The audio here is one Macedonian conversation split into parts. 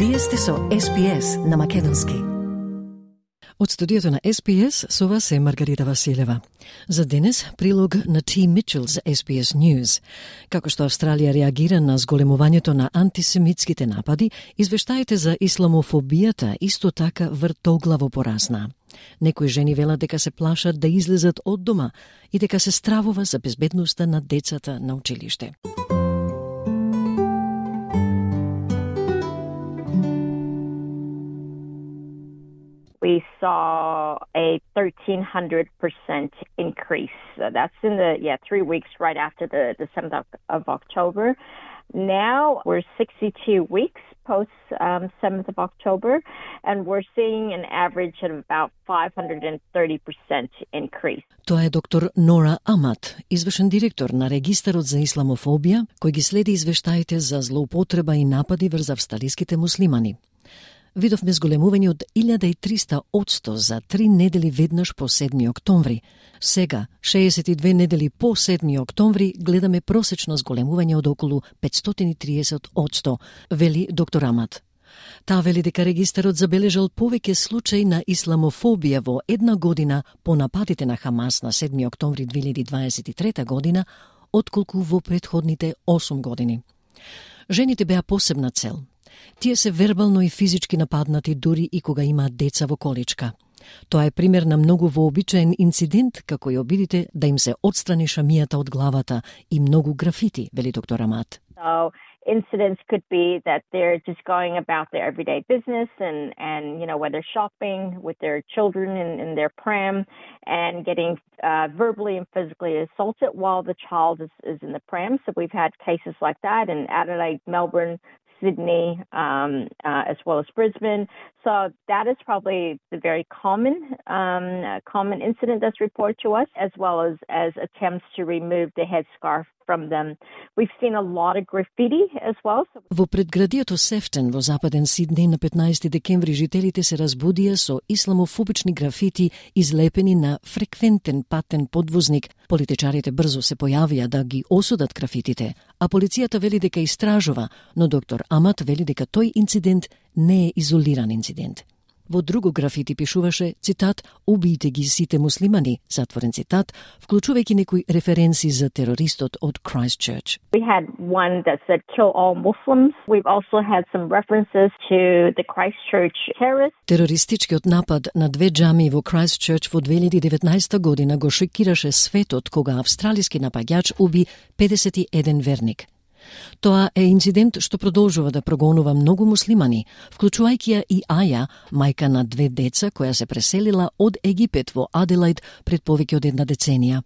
Вие сте со SPS на Македонски. Од студиото на SPS со вас е Маргарита Василева. За денес прилог на T. Mitchell за SPS News. Како што Австралија реагира на зголемувањето на антисемитските напади, извештаите за исламофобијата исто така вртоглаво порасна. Некои жени велат дека се плашат да излезат од дома и дека се стравува за безбедноста на децата на училиште. We saw a 1,300% increase. That's in the 3 weeks right after the 7th of October. Now we're 62 weeks post 7th of October, and we're seeing an average of about 530% increase. Тоа е доктор Нора Амат, извршен директор на Регистарот за исламофобија, кој ги следи извештаите за злоупотреба и напади врз австралиските муслимани. Видовме зголемување од 1300% за 3 недели веднаш по 7 октомври. Сега, 62 недели по 7 октомври, гледаме просечно зголемување од околу 530%, вели доктор Амат. Таа вели дека регистарот забележал повеќе случаи на исламофобија во една година по нападите на Хамас на 7 октомври 2023 година, отколку во претходните 8 години. Жените беа посебна цел. Тие се вербално и физички нападнати дури и кога имаат деца во количка. Тоа е пример на многу вообичаен инцидент, како и обидите да им се отстрани шамијата од главата и многу графити, вели доктор Амат. So incidents could be that they're just going about their everyday business and whether shopping with their children in their pram and getting verbally and physically assaulted while the child is in the pram. So we've had cases like that in Adelaide, Melbourne, Sydney, as well as Brisbane. So that is probably the very common incident that's reported to us, as well as attempts to remove the headscarf from them. We've seen a lot of graffiti as well. Во предградието Сефтен во западен Сиднеј на 15 декември жителите се разбудија со исламофобични графити излепени на фреквентен патен подвозник. Политичарите брзо се појавија да ги осудат графитите, а полицијата вели дека истражува, но доктор Амат вели дека тој инцидент не е изолиран инцидент. Во друго графити пишуваше, цитат, "Убијте ги сите муслимани", затворен цитат, вклучувајќи некои референции за терористот од Christchurch. We had one that said "Kill all Muslims." We've also had some references to the Christchurch terrorists. Терористичкиот напад на 2 џамии во Christchurch во 2019 година го шокираше светот кога австралиски напаѓач уби 51 верник. Тоа е инцидент што продолжува да прогонува многу муслимани, вклучувајќи ја и Аја, мајка на 2 деца која се преселила од Египет во Аделаид пред повеќе од 1 деценија.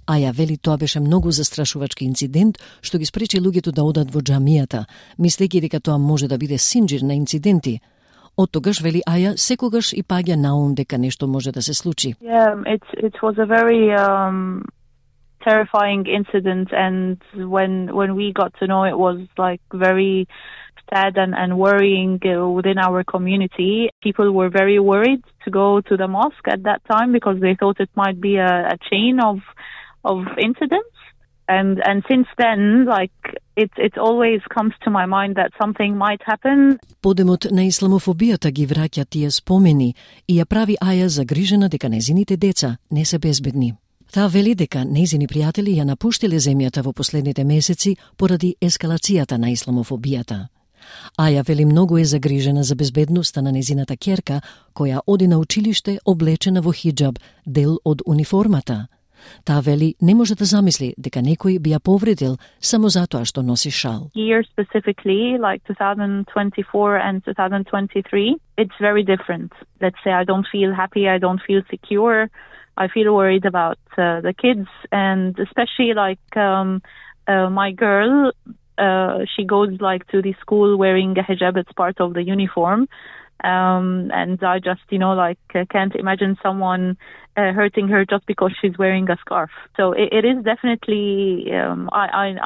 Аја вели тоа беше многу застрашувачки инцидент што ги спречи луѓето да одат во џамијата, мислејќи дека тоа може да биде синџир на инциденти. Од тогаш, вели Аја, секогаш и паѓа на ум дека нешто може да се случи. Yeah, it was a very terrifying incident, and when we got to know, it was like very sad and worrying within our community. People were very worried to go to the mosque at that time because they thought it might be a chain of incidents. And since then, like it always comes to my mind that something might happen. Подемот на исламофобијата ги враќа тие спомени и ја прави Аја загрижена дека незините деца не се безбедни. Таа вели дека нејзини пријатели ја напуштиле земјата во последните месеци поради ескалацијата на исламофобијата. Аја вели многу е загрижена за безбедноста на незината ќерка, која оди на училиште облечена во хиџаб, дел од униформата. Таа вели не може да замисли дека некој би ја повредил само затоа што носи шал. Here specifically, like 2024 and 2023, it's very different. Let's say I don't feel happy, I don't feel secure. I feel worried about the kids, and especially like my girl, she goes like to the school wearing a hijab. It's part of the uniform, and I just can't imagine someone hurting her just because she's wearing a scarf. So it is definitely.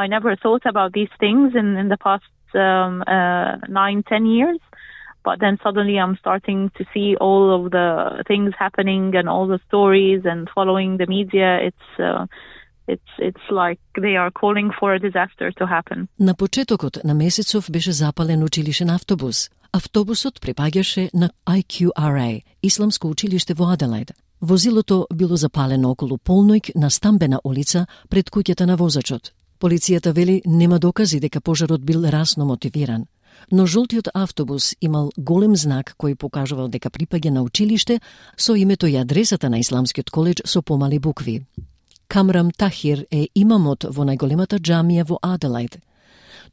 I never thought about these things in the past 9-10 years. But then suddenly I'm starting to see all of the things happening and all the stories and following the media. It's like they are calling for a disaster to happen. На почетокот на месецов беше запален училишен автобус, Автобусот припаѓаше на IQRA, исламско училиште во Аделаид. Возилото било запалено околу полноќ на Стамбена улица пред куќата на возачот. Полицијата вели нема докази дека пожарот бил расно мотивиран, но жолтиот автобус имал голем знак кој покажувал дека припаѓа на училиште со името и адресата на Исламскиот коледж со помали букви. Камрам Тахир е имамот во најголемата џамија во Аделаид.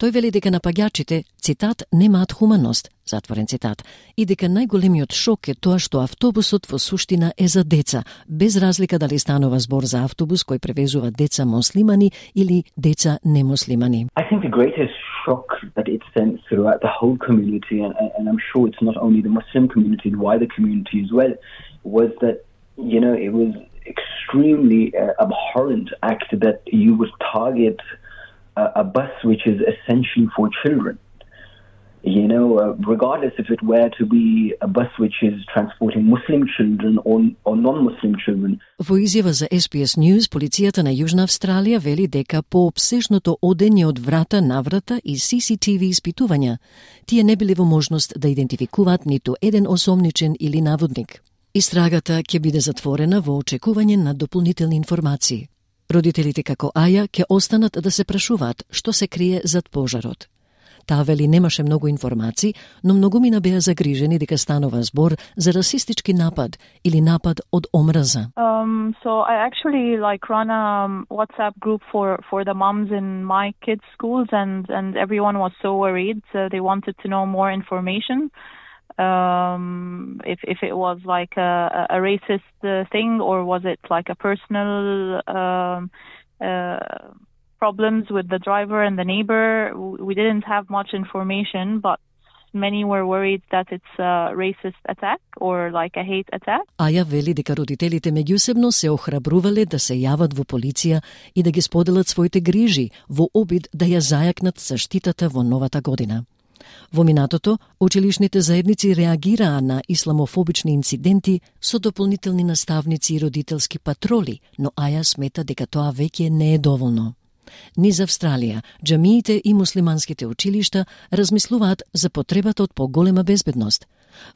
Тој вели дека напаѓачите, цитат, немаат хуманост, затворен цитат, и дека најголемиот шок е тоа што автобусот во суштина е за деца, без разлика дали станува збор за автобус кој превезува деца муслимани или деца немуслимани. I think the greatest shock that it sent throughout the whole community, and I'm sure it's not only the Muslim community, the wider community as well, was that, it was extremely abhorrent act that you would target a bus which is essentially for children. Regardless if it were to be a bus which is transporting Muslim children or non-Muslim children. Во изјава за SBS News, полицијата на Јужна Австралија вели дека по обсежното одење од врата на врата и CCTV испитувања, тие не били во можност да идентификуваат ниту еден осомничен или наводник. Истрагата ќе биде затворена во очекување на дополнителни информации. Родителите како Аја ќе останат да се прашуваат што се крие зад пожарот. Таа вели немаше многу информации, но многумина беа загрижени дека станува збор за расистички напад или напад од омраза. So I actually run a WhatsApp group for the moms in my kids' schools, and everyone was so worried. They wanted to know more information. If it was like a racist thing, or was it like a personal problems with the driver and the neighbor. We didn't have much information, but many were worried that it's a racist attack or like a hate attack. Аја вели дека родителите меѓусебно се охрабрувале да се јават во полиција и да ги споделат своите грижи во обид да ја зајакнат заштитата во новата година. Во минатото, училишните заедници реагираа на исламофобични инциденти со дополнителни наставници и родителски патроли, но Аја смета дека тоа веќе не е доволно. Низ Австралија, џамиите и муслиманските училишта размислуваат за потребата од поголема безбедност.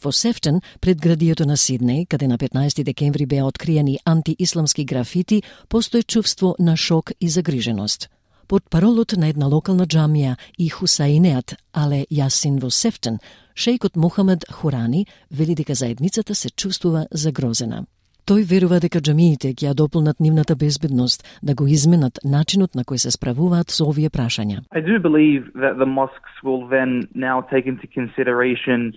Во Сефтон, пред градието на Сиднеј, каде на 15 декември беа откриени антиисламски графити, постои чувство на шок и загриженост. Под паролот на една локална џамија и Хусаинеат Але Јасин во Сефтон, шејкот Мухамед Хурани вели дека заедницата се чувствува загрозена. Тој верува дека џамиите ќе ја дополнат нивната безбедност, да го изменат начинот на кој се справуваат со овие прашања. I do believe that the mosques will then now take into consideration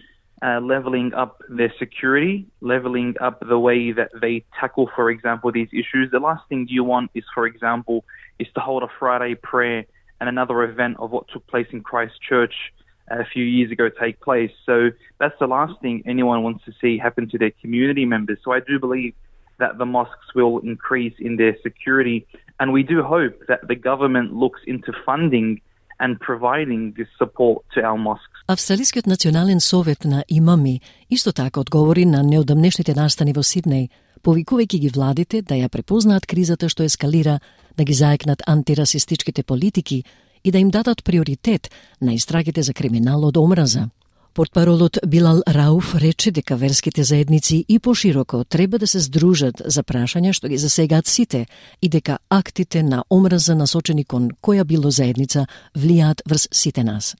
leveling up their security, leveling up the way that they tackle, for example, these issues. The last thing you want is, for example, is to hold a Friday prayer and another event of what took place in Christchurch a few years ago take place. So that's the last thing anyone wants to see happen to their community members. So I do believe that the mosques will increase in their security, and we do hope that the government looks into funding and providing this support to our mosques. Австралискиот национален совет на имами исто така одговори на неодамнешните настани во Сиднеј, повикувајќи ги владите да ја препознаат кризата што ескалира, да ги заекнат антирасистичките политики и да им дадат приоритет на истрагите за криминал од омраза. Портпаролот Билал Рауф рече дека верските заедници и пошироко треба да се здружат за прашања што ги засегаат сите и дека актите на омраза насочени кон која било заедница влијаат врз сите нас.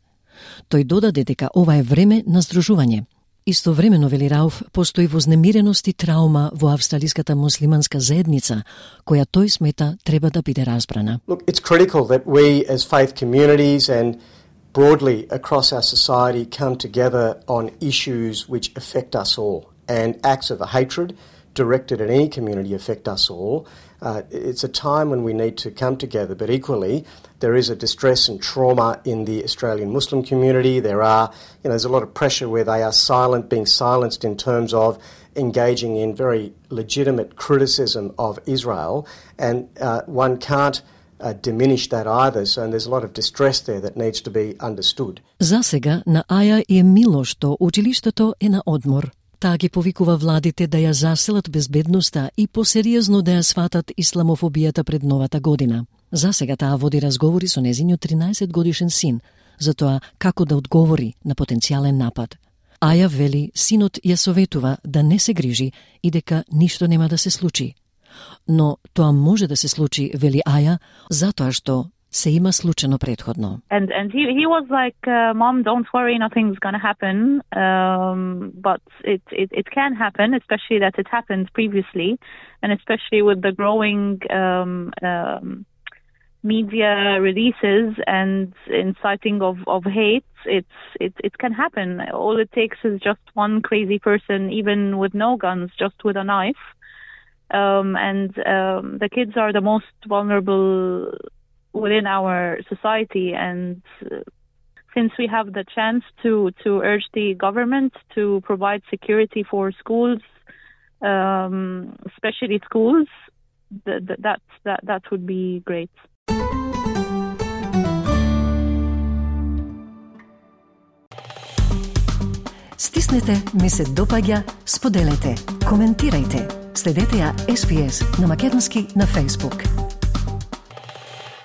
Тој додаде дека ова е време на здружување. Истовремено, вели Рауф, постои вознемиреност и траума во австралиската муслиманска заедница, која тој смета треба да биде разбрана. Look, it's critical that we as faith communities and broadly across our society come together on issues which affect us all, and acts of hatred directed at any community affect us all. It's a time when we need to come together, but equally there is a distress and trauma in the Australian Muslim community. There's a lot of pressure where they are being silenced in terms of engaging in very legitimate criticism of Israel, and one can't diminish that either, so there's a lot of distress there that needs to be understood. За сега на Аја е мило што училиштето е на одмор. Таа ги повикува владите да ја заселат безбедноста и посериозно да ја сватат исламофобијата пред новата година. За сега таа води разговори со нејзиниот 13 годишен син за тоа како да одговори на потенцијален напад. Аја вели синот ја советува да не се грижи и дека ништо нема да се случи. Но тоа може да се случи, вели Аја, затоа што се има случено предходно. And he was like, Mom, don't worry, nothing's gonna happen. But it can happen, especially that it happened previously, and especially with the growing media releases and inciting of hate, it can happen. All it takes is just one crazy person, even with no guns, just with a knife. And the kids are the most vulnerable within our society, and since we have the chance to urge the government to provide security for schools, especially schools, that would be great. Стиснете, ми се допаѓа, споделете, коментирајте. Следете ја SPS на Македонски на Facebook.